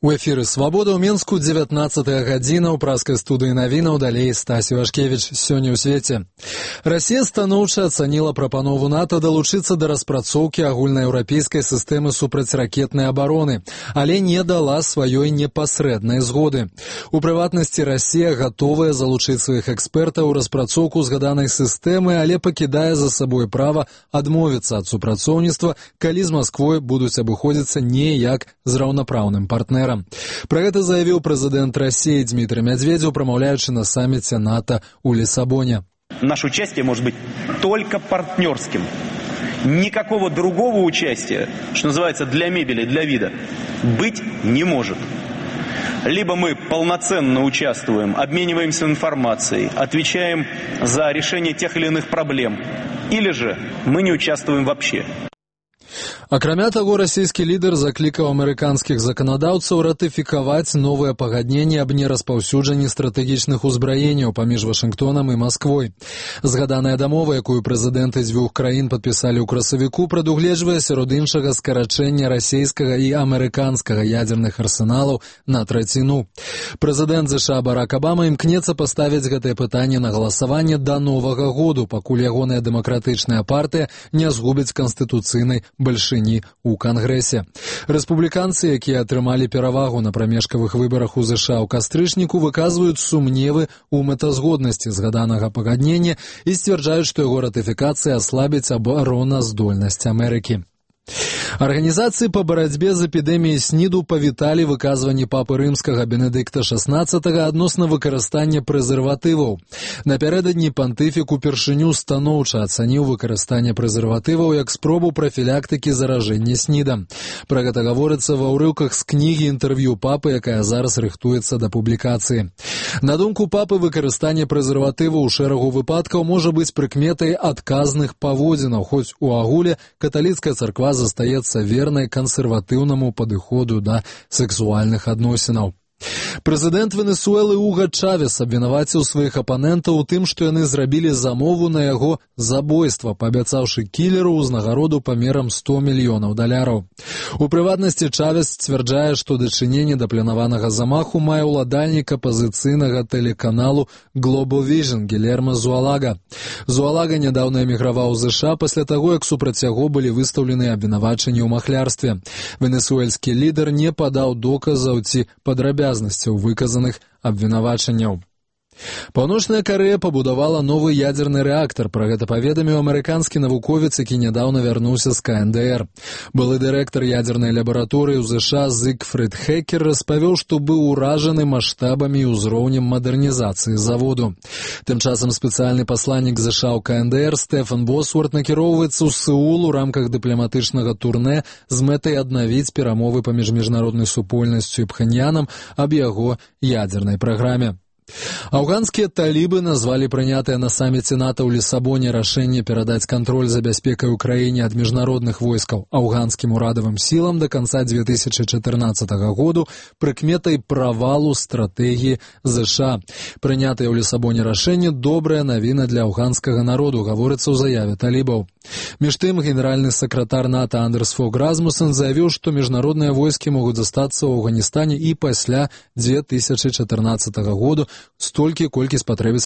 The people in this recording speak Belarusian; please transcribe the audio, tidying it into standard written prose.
У эфіры «Свабода» ў Мінску 19-я гадзіна ў праскай студыі навінаў, далей Стасі Вашкевіч. Сёння ў свеце. Расія станоўча ацаніла прапанову НАТО далучыцца да распрацоўкі агульнаеўрапейскай сістэмы супрацьракетнай абароны, але не дала сваёй непасрэднай згоды. У прыватнасці, Расія гатовая залучыць сваіх экспертаў у распрацоўку згаданай сістэмы, але пакідае за сабой права адмовіцца ад супрацоўніцтва, калі з Масквой будуць абыходзіцца не як з раўнапраўным партнерам. Про гэта заявіў прэзідэнт России Дмитрий Медведев, промовляючи на саммите НАТО у Лиссабоне. Наше участие может быть только партнерским. Никакого другого участия, что называется, для мебели, для вида, быть не может. Либо мы полноценно участвуем, обмениваемся информацией, отвечаем за решение тех или иных проблем, или же мы не участвуем вообще. Акрамя таго, расійскі лідар заклікаў амерыканскіх заканадаўцаў ратыфікаваць новае пагадненне аб нераспаўсюджанні стратэгічных узбраенняў паміж Вашынгтонам і Масквой. Згаданая дамова, якую прэзідэнты дзвюх краін падпісалі ў красавіку, прадугледжвае сярод іншага скарачэння расійскага і амерыканскага ядзерных арсеналаў на траціну. Прэзідэнт США Барак Абама імкнецца паставіць гэтае пытанне на галасаванне да Новага году, пакуль ягоная дэмакратычная партыя не згубіць канстытуцыйнай бальшыні у Кангрэсе. Рэспубліканцы, якія атрымалі перавагу на прамежкавых выбарах у ЗША ў кастрычніку, выказваюць сумневы ў мэтазгоднасці згаданага пагаднення і сцвярджаюць, што яго ратыфікацыя аслабіць абароназдольнасць Амерыкі. Арганізацыі па барацьбе з эпідэміяй СНІДу павіталі выказванні папы рымскага Бенедыкта XVI адносна выкарыстання прэзерватываў. Напярэдадні пантыфік упершыню станоўча ацаніў выкарыстанне прэзерватываў як спробу прафілактыкі заражэння СНІДам. Пра гэта гаворыцца ва ўрыўках з кнігі інтэрв'ю папы, якая зараз рыхтуецца да публікацыі. На думку папы, выкарыстанне прэзерватываў у шэрагу выпадкаў можа быць прыкметай адказных паводзінаў, хоць у агуле каталіцкая царква застаецца вернай кансерватыўнаму падыходу да сексуальных адносінаў. Прэзідэнт Венесуэлы Уга Чавес абвінаваціў сваіх апанентаў у тым, што яны зрабілі замову на яго забойства, паабяцаўшы кілеру ўзнагароду памерам $100 мільёнаў. У прыватнасці Чавес сцвярджае, што дачыненне да планаванага замаху мае ўладальнік апазіцыйнага тэлеканалу Global Vision Гілерма Зуалага. Зуалага нядаўна эміграваў у ЗША пасля таго, як супраць яго былі выстаўлены абвінавачанні ў махлярстве. Венесуэльскі лідар не падаў доказаў ці падрабязнасцяў выказаных абвінавачанняў. Паўночная Карэя пабудавала новы ядзерны рэактар. Пра гэта паведаміў амерыканскі навуковец, які нядаўна вярнуўся з КНДР. Былы дырэктар ядзернай лабараторыі ў ЗША Зігфрід Хекер распавёў, што быў уражаны маштабамі і ўзроўнем мадэрнізацыі заводу. Тым часам спецыяльны пасланнік ЗША ў КНДР Стэфан Босворт накіроўваецца ў Сеул у рамках дыпламатычнага турнэ з мэтай аднавіць перамовы паміж міжнароднай супольнасцю і Пхэньянам аб яго ядзернай праграме. Афганскія талібы назвалі прынятае на самміце НАТО ў Лиссабоне рашэнне перадаць кантроль за бяспекай у краіне ад міжнародных войскаў афганскім урадавым сілам да канца 2014 году прыкметай правалу стратэгіі ЗША. Прынятае ў Лиссабоне рашэнне добрая навіна для афганскага народу, гаворыцца ў заяве талібаў. Між тым, генеральны сакратар НАТО Андерс Фог Расмуссен заявіў, што міжнародныя войскі могуць застацца ў Афганістане і пасля 2014 году, столькі, колькі спатрэбіцца